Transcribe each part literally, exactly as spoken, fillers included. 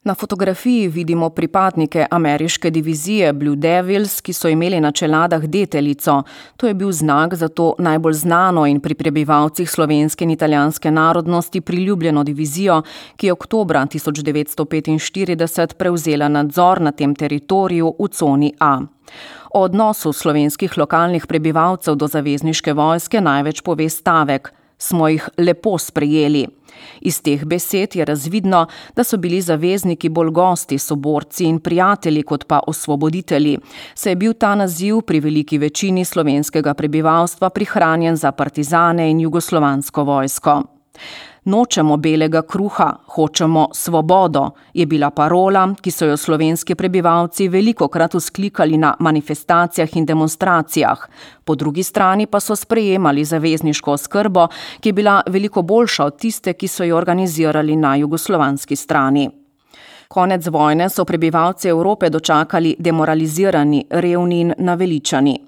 Na fotografiji vidimo pripadnike ameriške divizije Blue Devils, ki so imeli na čeladah deteljico. To je bil znak za to najbolj znano in pri prebivalcih slovenske in italijanske narodnosti priljubljeno divizijo, ki je oktobra tisoč devetsto petinštirideset prevzela nadzor na tem teritoriju v coni A. O odnosu slovenskih lokalnih prebivalcev do zavezniške vojske največ pove stavek: smo jih lepo sprejeli. Iz teh besed je razvidno, da so bili zavezniki bolj gosti, soborci in prijatelji kot pa osvoboditelji, saj je bil ta naziv pri veliki večini slovenskega prebivalstva prihranjen za partizane in jugoslovansko vojsko. Nočemo belega kruha, hočemo svobodo, je bila parola, ki so jo slovenski prebivalci velikokrat vzklikali na manifestacijah in demonstracijah. Po drugi strani pa so sprejemali zavezniško oskrbo, ki je bila veliko boljša od tiste, ki so jo organizirali na jugoslovanski strani. Konec vojne so prebivalci Evrope dočakali demoralizirani, revni in naveličani.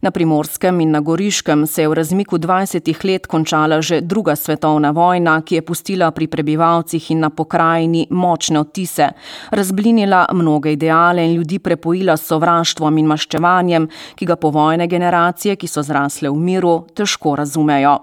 Na Primorskem in na Goriškem se je v razmiku dvajsetih let končala že druga svetovna vojna, ki je pustila pri prebivalcih in na pokrajini močne odtise, razblinila mnoge ideale in ljudi prepojila s sovraštvom in maščevanjem, ki ga povojne generacije, ki so zrasle v miru, težko razumejo.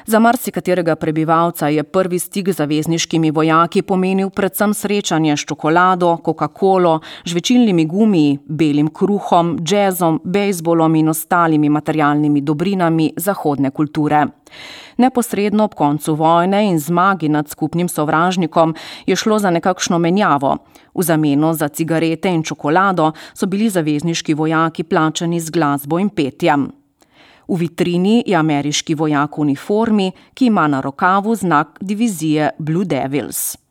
Za marsikaterega prebivalca je prvi stik z zavezniškimi vojaki pomenil predvsem srečanje s čokolado, Coca-Colo, žvečilnimi gumiji, belim kruhom, džezom, bejzbolom in ostalimi materialnimi dobrinami zahodne kulture. Neposredno ob koncu vojne in zmagi nad skupnim sovražnikom je šlo za nekakšno menjavo. V zameno za cigarete in čokolado so bili zavezniški vojaki plačani z glasbo in petjem. V vitrini je ameriški vojak v uniformi, ki ima na rokavu znak divizije Blue Devils.